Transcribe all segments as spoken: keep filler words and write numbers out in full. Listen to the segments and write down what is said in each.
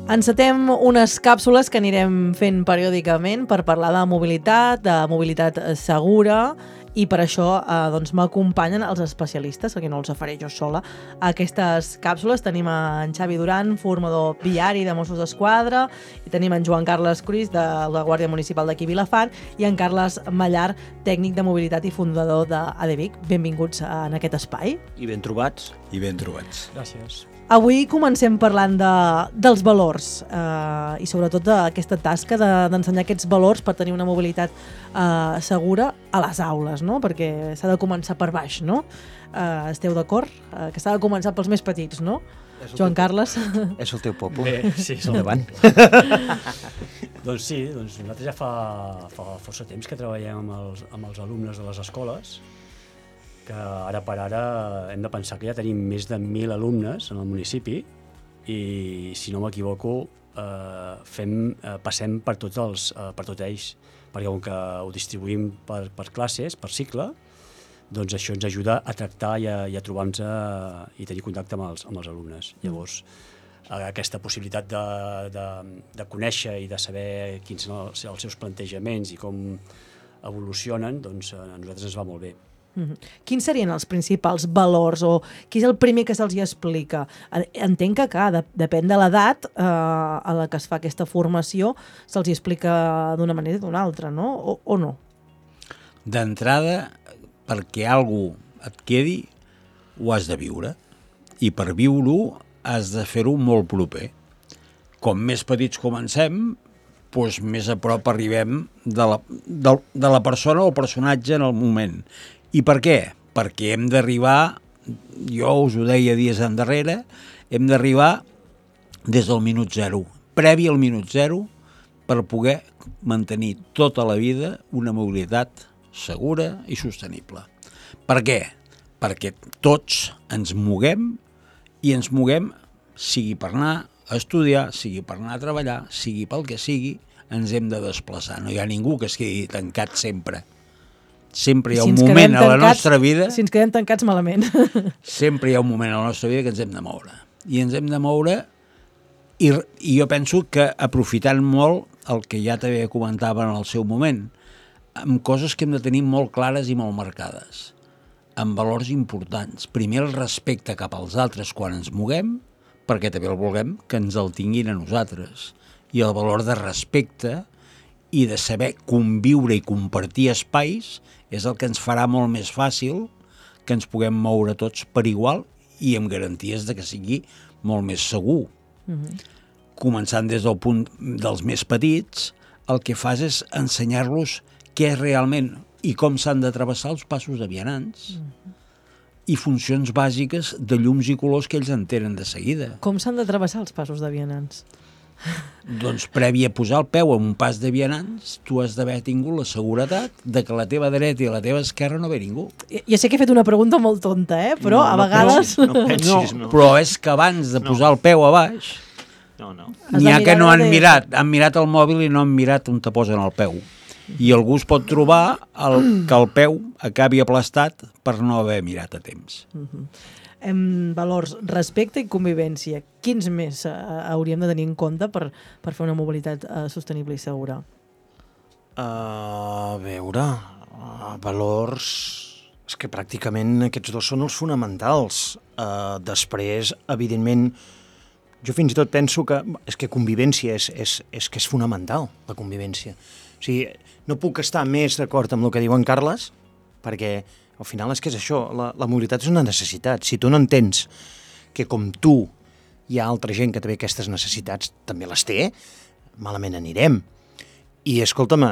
Encetem unes càpsules que anirem fent periòdicament per parlar de mobilitat, de mobilitat segura, i per això eh, doncs, m'acompanyen els especialistes, perquè no els faré jo sola. A aquestes càpsules tenim en Xavi Duran, formador viari de Mossos d'Esquadra, i tenim en Joan Carles Cruís, de la Guàrdia Municipal d'aquí Vilafant, i en Carles Mallar, tècnic de mobilitat i fundador d'ADVIC. Benvinguts en aquest espai. I ben trobats. I ben trobats. Gràcies. Avui comencem parlant de, dels valors eh, i sobretot d'aquesta tasca de, d'ensenyar aquests valors per tenir una mobilitat eh, segura a les aules, no? Perquè s'ha de començar per baix, no? Eh, esteu d'acord? Eh, que s'ha de començar pels més petits, no? Joan Carles? És el teu poble. Bé, sí, és el Endavant. Doncs sí, doncs nosaltres ja fa, fa força temps que treballem amb els, amb els alumnes de les escoles, que ara per ara hem de pensar que ja tenim més de mil alumnes en el municipi i, si no m'equivoco, eh, fem, eh, passem per tots, els, eh, per tots ells, perquè com que ho distribuïm per, per classes, per cicle, doncs això ens ajuda a tractar i a, i a trobar-nos i tenir contacte amb els, amb els alumnes. Llavors, aquesta possibilitat de, de, de conèixer i de saber quins són els, els seus plantejaments i com evolucionen, doncs a nosaltres ens va molt bé. Mm-hmm. Quins serien els principals valors o qui és el primer que se'ls hi explica? Entenc que, clar, de, depèn de l'edat eh, a la que es fa aquesta formació, se'ls hi explica d'una manera o d'una altra, no? O, o no? D'entrada, perquè algú et quedi, ho has de viure. I per viure-ho has de fer-ho molt proper. Com més petits comencem, doncs més a prop arribem de la, de, de la persona o personatge en el moment. I per què? Perquè hem d'arribar, jo us ho deia dies endarrere, hem d'arribar des del minut zero, previ al minut zero, per poder mantenir tota la vida una mobilitat segura i sostenible. Per què? Perquè tots ens moguem i ens moguem, sigui per anar a estudiar, sigui per anar a treballar, sigui pel que sigui, ens hem de desplaçar. No hi ha ningú que es quedi tancat sempre. Sempre hi ha un si moment a la tancats, nostra vida... Si ens quedem tancats, malament. Sempre hi ha un moment a la nostra vida que ens hem de moure. I ens hem de moure i, i jo penso que aprofitant molt el que ja també comentava en el seu moment, amb coses que hem de tenir molt clares i molt marcades, amb valors importants. Primer, el respecte cap als altres quan ens moguem, perquè també el vulguem que ens el tinguin a nosaltres. I el valor de respecte i de saber conviure i compartir espais és el que ens farà molt més fàcil que ens puguem moure tots per igual i amb garanties de que sigui molt més segur. Mm-hmm. Començant des del punt dels més petits, el que fas és ensenyar-los què és realment i com s'han de travessar els passos de vianants. Mm-hmm. I funcions bàsiques de llums i colors que ells entenen de seguida. Com s'han de travessar els passos de vianants? Doncs previ a posar el peu en un pas de vianants, tu has d'haver tingut la seguretat de que a la teva dreta i a la teva esquerra no ve ningú. Ja, ja sé que he fet una pregunta molt tonta, eh? Però no, a no vegades... Pensis, no, pensis, no. No, però és que abans de posar no. el peu a baix, no, no. n'hi ha que no han mirat, han mirat el mòbil i no han mirat on te posen el peu. I algú es pot trobar el, que el peu acabi aplastat per no haver mirat a temps. Uh-huh. Em, valors, respecte i convivència. Quins més eh, hauríem de tenir en compte per, per fer una mobilitat eh, sostenible i segura? Uh, a veure, uh, valors... És que pràcticament aquests dos són els fonamentals. Uh, després, evidentment, jo fins i tot penso que és que convivència és, és, és que és fonamental, la convivència. O sigui, no puc estar més d'acord amb el que diu en Carles, perquè al final és que és això, la, la mobilitat és una necessitat. Si tu no entens que com tu hi ha altra gent que també aquestes necessitats també les té, malament anirem. I escolta'm,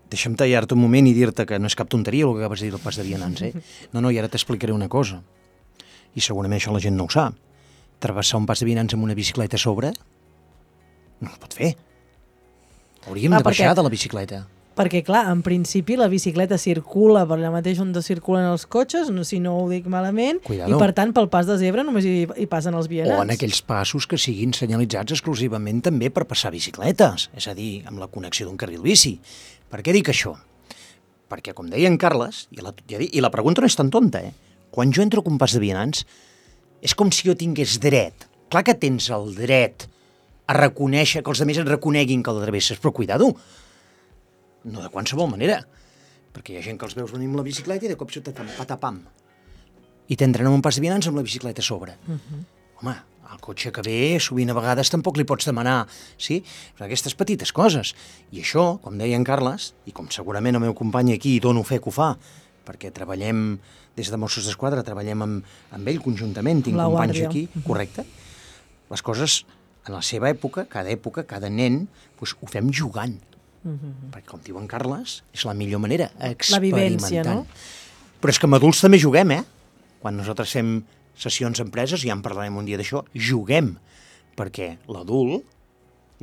deixa'm tallar-te un moment i dir-te que no és cap tonteria el que acabes de dir del pas de vianants, eh? No, no, i ara t'explicaré una cosa. I segurament això la gent no ho sap. Travessar un pas de vianants amb una bicicleta a sobre no es pot fer. Hauríem ah, de baixar de la bicicleta. Perquè, clar, en principi la bicicleta circula per allà mateix on circulen els cotxes, no, si no ho dic malament, Cuidado. I per tant pel pas de zebra només hi, hi passen els vianants. O en aquells passos que siguin senyalitzats exclusivament també per passar bicicletes, és a dir, amb la connexió d'un carril bici. Per què dic això? Perquè, com deia en Carles, i la, i la pregunta no és tan tonta, eh? Quan jo entro a un pas de vianants, és com si jo tingués dret. Clar que tens el dret a reconèixer, que els altres et reconeguin que el travesses, però cuidado, no de qualsevol manera, perquè hi ha gent que els veus venir amb la bicicleta i de cop sota patapam, i t'entren un pas de vianants amb la bicicleta a sobre. Uh-huh. Home, el cotxe que ve, sovint a vegades tampoc li pots demanar, sí? Però aquestes petites coses. I això, com deia en Carles, i com segurament el meu company aquí dono fe que ho fa, perquè treballem des de Mossos d'Esquadra, treballem amb, amb ell conjuntament, tinc la companys guàrdia. aquí, correcte? Les coses, en la seva època, cada època, cada nen, doncs, ho fem jugant. Uh-huh. Perquè, com diu en Carles, és la millor manera, experimentant. La vivència, no? Però és que amb adults també juguem, eh? Quan nosaltres fem sessions a empreses, ja en parlarem un dia d'això, juguem, perquè l'adult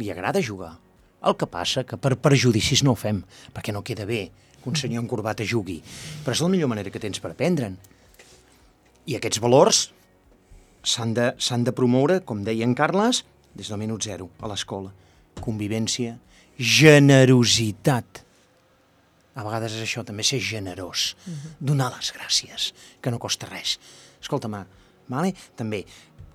li agrada jugar. El que passa que per prejudicis no ho fem, perquè no queda bé que un senyor en corbata jugui. Però és la millor manera que tens per aprendre'n. I aquests valors s'han de, s'han de promoure, com deia en Carles, des del minut zero, a l'escola. Convivència, generositat. A vegades és això, també ser generós, donar les gràcies, que no costa res. Escolta'm, vale? També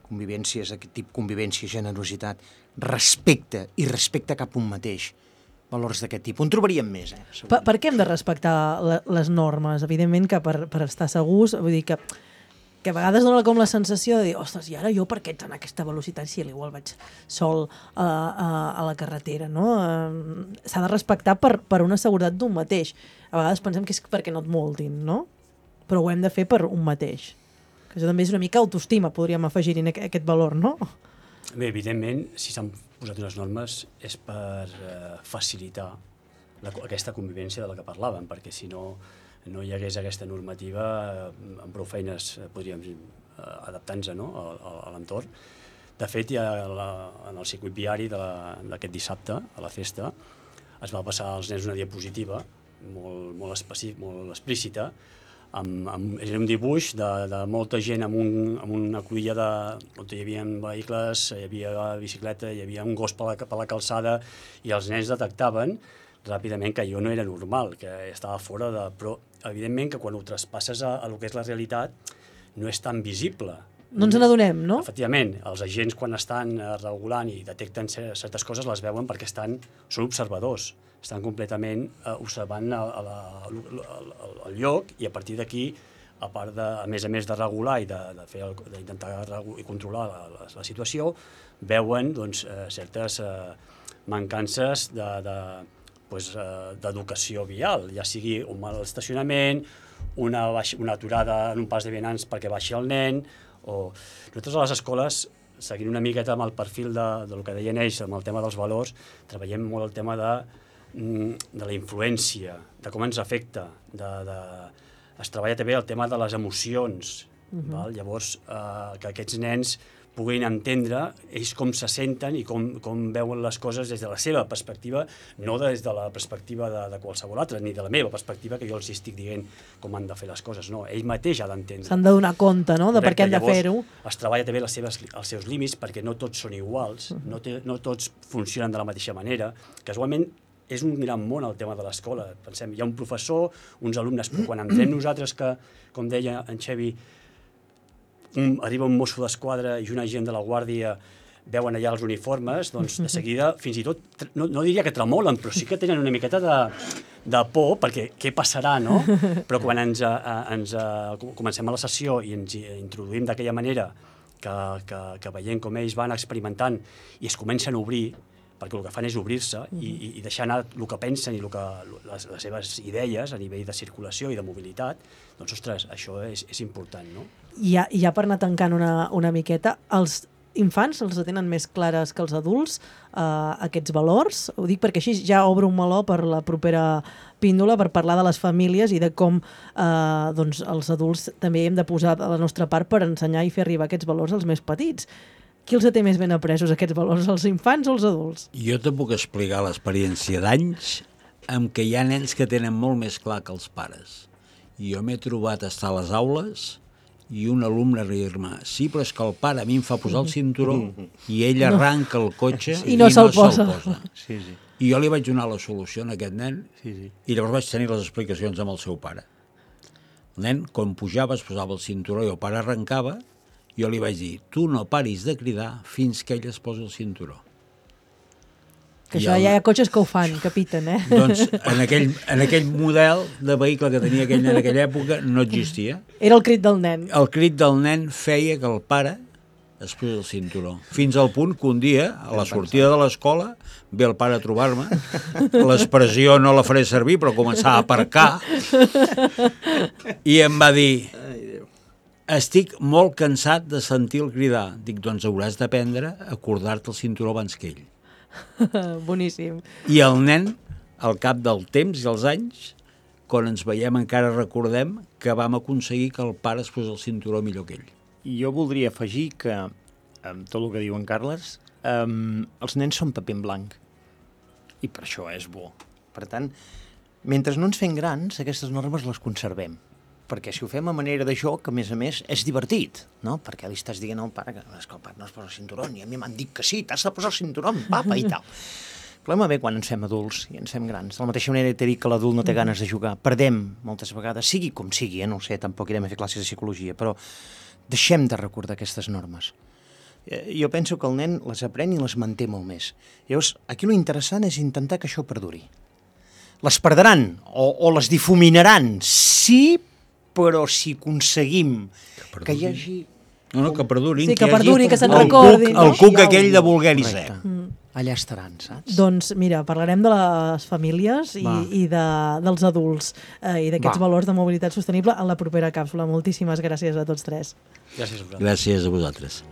convivències, aquest tipus, convivència, generositat, respecte i respecte cap a un mateix. Valors d'aquest tipus. En trobaríem més, eh? Per, per què hem de respectar la, les normes? Evidentment que per, per estar segurs, vull dir que, que a vegades dona com la sensació de dir, ostres, i ara jo per què ets en aquesta velocitat si igual vaig sol a, a, a la carretera, no? S'ha de respectar per, per una seguretat d'un mateix. A vegades pensem que és perquè no et multin, no? Però ho hem de fer per un mateix. Que això també és una mica autoestima, podríem afegir-hi aquest valor, no? Bé, evidentment, si s'han posat unes normes és per eh, facilitar la, aquesta convivència de la que parlàvem, perquè si no, no hi hagués aquesta normativa, eh, amb prou feines podríem eh, adaptar-nos, no?, a, a, a l'entorn. De fet, ja la, en el circuit viari d'aquest dissabte, a la festa, es va passar als nens una diapositiva molt, molt, específic, molt explícita, amb, amb, era un dibuix de, de molta gent amb, un, amb una cruïlla de, on hi havia vehicles, hi havia bicicleta, hi havia un gos per la, per la calçada, i els nens detectaven ràpidament que allò no era normal, que estava fora de... Però, evidentment, que quan ho traspasses a, a lo que és la realitat, no és tan visible. No ens n'adonem, no? Efectivament, els agents quan estan regulant i detecten certes coses les veuen perquè estan, són observadors, estan completament eh, observant el, el, el, el lloc, i a partir d'aquí, a part de, a més a més de regular i d'intentar i controlar la, la, la situació, veuen doncs, eh, certes eh, mancances de, de, pues, eh, d'educació vial, ja sigui un mal estacionament, una, baix, una aturada en un pas de vianants perquè baixi el nen, o... Nosaltres a les escoles, seguint una miqueta amb el perfil de, del que deien ells, amb el tema dels valors, treballem molt el tema de, de la influència, de com ens afecta, de, de... es treballa també el tema de les emocions, uh-huh. val? Llavors eh, que aquests nens puguin entendre ells com se senten i com, com veuen les coses des de la seva perspectiva, no des de la perspectiva de, de qualsevol altre, ni de la meva perspectiva, que jo els estic dient com han de fer les coses. No, ell mateix ha d'entendre. S'han de donar compte, no?, de per què han de fer-ho. Es treballa també les seves, els seus límits, perquè no tots són iguals, uh-huh. no, té, no tots funcionen de la mateixa manera. Casualment, és un gran món el tema de l'escola. Pensem, hi ha un professor, uns alumnes, però quan entrem nosaltres que, com deia en Xevi, un, arriba un mosso d'esquadra i un agent de la guàrdia veuen allà els uniformes, doncs de seguida, fins i tot, no, no diria que tremolen, però sí que tenen una miqueta de, de por, perquè què passarà, no? Però quan ens, a, ens a, comencem a la sessió i ens introduïm d'aquella manera que, que, que veiem com ells van experimentant i es comencen a obrir, perquè el que fan és obrir-se i, i deixar anar el que pensen i el que, les, les seves idees a nivell de circulació i de mobilitat, doncs, ostres, això és, és important, no? I ja, ja per anar tancant una, una miqueta, els infants els tenen més clares que els adults, eh, aquests valors? Ho dic perquè així ja obro un meló per la propera píndola, per parlar de les famílies i de com eh, doncs, els adults també hem de posar de la nostra part per ensenyar i fer arribar aquests valors als més petits. Qui els té més ben apresos, aquests valors, els infants o els adults? Jo te puc explicar l'experiència d'anys en què hi ha nens que tenen molt més clar que els pares. Jo m'he trobat a estar a les aules i un alumne dir-me, sí, però és que el pare a mi em fa posar el cinturó i ell arranca el cotxe i no se'l posa. posa. Sí, sí. I jo li vaig donar la solució a aquest nen sí, sí. i llavors vaig tenir les explicacions amb el seu pare. El nen, quan pujava, es posava el cinturó i el pare arrencava. Jo li vaig dir, tu no paris de cridar fins que ell es posi el cinturó. Que això ja hi ha cotxes que ho fan, que piten, eh? Doncs en aquell, en aquell model de vehicle que tenia aquell nen en aquella època no existia. Era el crit del nen. El crit del nen feia que el pare es posés el cinturó. Fins al punt que un dia, a la sortida de l'escola, ve el pare a trobar-me, l'expressió no la faré servir, però començava a aparcar, i em va dir: estic molt cansat de sentir-lo cridar. Dic, doncs hauràs d'aprendre a acordar-te el cinturó abans que ell. Boníssim. I el nen, al cap del temps i els anys, quan ens veiem encara recordem que vam aconseguir que el pare es posés el cinturó millor que ell. I jo voldria afegir que, amb tot el que diu en Carles, um, els nens són paper en blanc. I per això és bo. Per tant, mentre no ens fem grans, aquestes normes les conservem. Perquè si ho fem a manera de joc, a més a més, és divertit, no? Perquè li estàs dient al pare que, és que el pare no es posa el cinturó, i a mi m'han dit que sí, t'has de posar el cinturó, papa, i tal. El problema ve quan ens fem adults i ens fem grans. De la mateixa manera que t'he dit que l'adult no té ganes de jugar. Perdem moltes vegades, sigui com sigui, eh? No ho sé, tampoc irem a fer classes de psicologia, però deixem de recordar aquestes normes. Jo penso que el nen les aprèn i les manté molt més. Llavors, aquí lo interessant és intentar que això perduri. Les perdran o, o les difuminaran, sí, però si aconseguim que, que hi hagi... No, no, que perdurin. Sí, que hi hagi perdurin, que se'n el recordin. Cuc, el cuc aquell de voler i ser. Mm. Allà estaran, saps? Doncs mira, parlarem de les famílies i, i de, dels adults eh, i d'aquests valors de mobilitat sostenible en la propera càpsula. Moltíssimes gràcies a tots tres. Gràcies a vosaltres. Gràcies a vosaltres.